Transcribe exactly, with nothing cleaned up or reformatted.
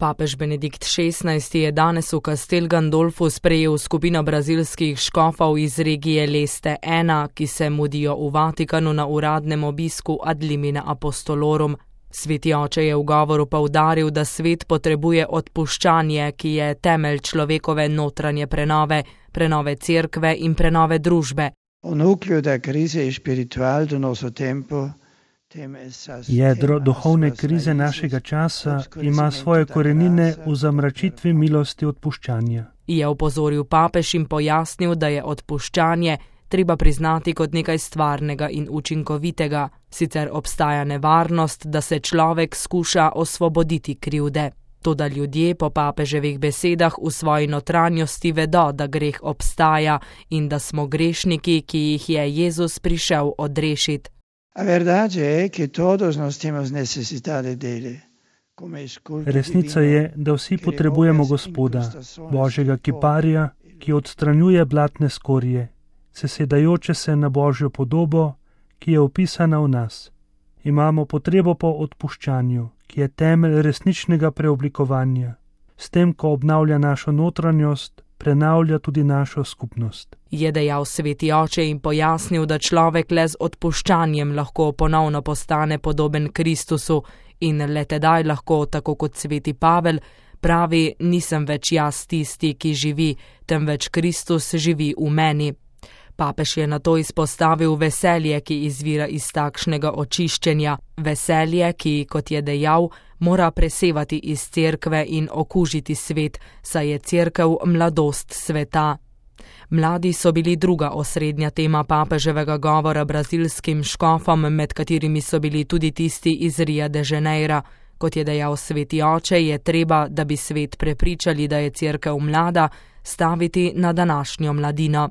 Papež Benedikt šestnajsti je danes v Castel Gandolfu sprejel skupino brazilskih škofov iz regije Leste ena, ki se mudijo v Vatikanu na uradnem obisku ad limina apostolorum. Sveti oče je v govoru poudaril, da svet potrebuje odpuščanje, ki je temelj človekove notranje prenove, prenove cerkve in prenove družbe. Jedro duhovne krize našega časa ima svoje korenine v zamračitvi milosti odpuščanja. Je opozoril papež in pojasnil, da je odpuščanje treba priznati kot nekaj stvarnega in učinkovitega, sicer obstaja nevarnost, da se človek skuša osvoboditi krivde. Toda ljudje po papeževih besedah v svoji notranjosti vedo, da greh obstaja in da smo grešniki, ki jih je Jezus prišel odrešiti. Resnica je, da vsi potrebujemo Gospoda, Božjega kiparja, ki odstranjuje blatne skorje, sesedajoče se na Božjo podobo, ki je opisana v nas. Imamo potrebo po odpuščanju, ki je temelj resničnega preoblikovanja. S tem, ko obnavlja našo notranjost, prenavlja tudi našo skupnost. Je dejal sveti oče in pojasnil, da človek le z odpuščanjem lahko ponovno postane podoben Kristusu in le tedaj lahko, tako kot sveti Pavel, pravi, nisem več jaz tisti, ki živi, temveč Kristus živi v meni. Papež je nato izpostavil veselje, ki izvira iz takšnega očiščenja, veselje, ki, kot je dejal, mora presevati iz cerkve in okužiti svet, saj je cerkev mladost sveta. Mladi so bili druga osrednja tema papeževega govora brazilskim škofom, med katerimi so bili tudi tisti iz Ria de Janeira. Kot je dejal sveti oče, je treba, da bi svet prepričali, da je cerkev mlada, staviti na današnjo mladino.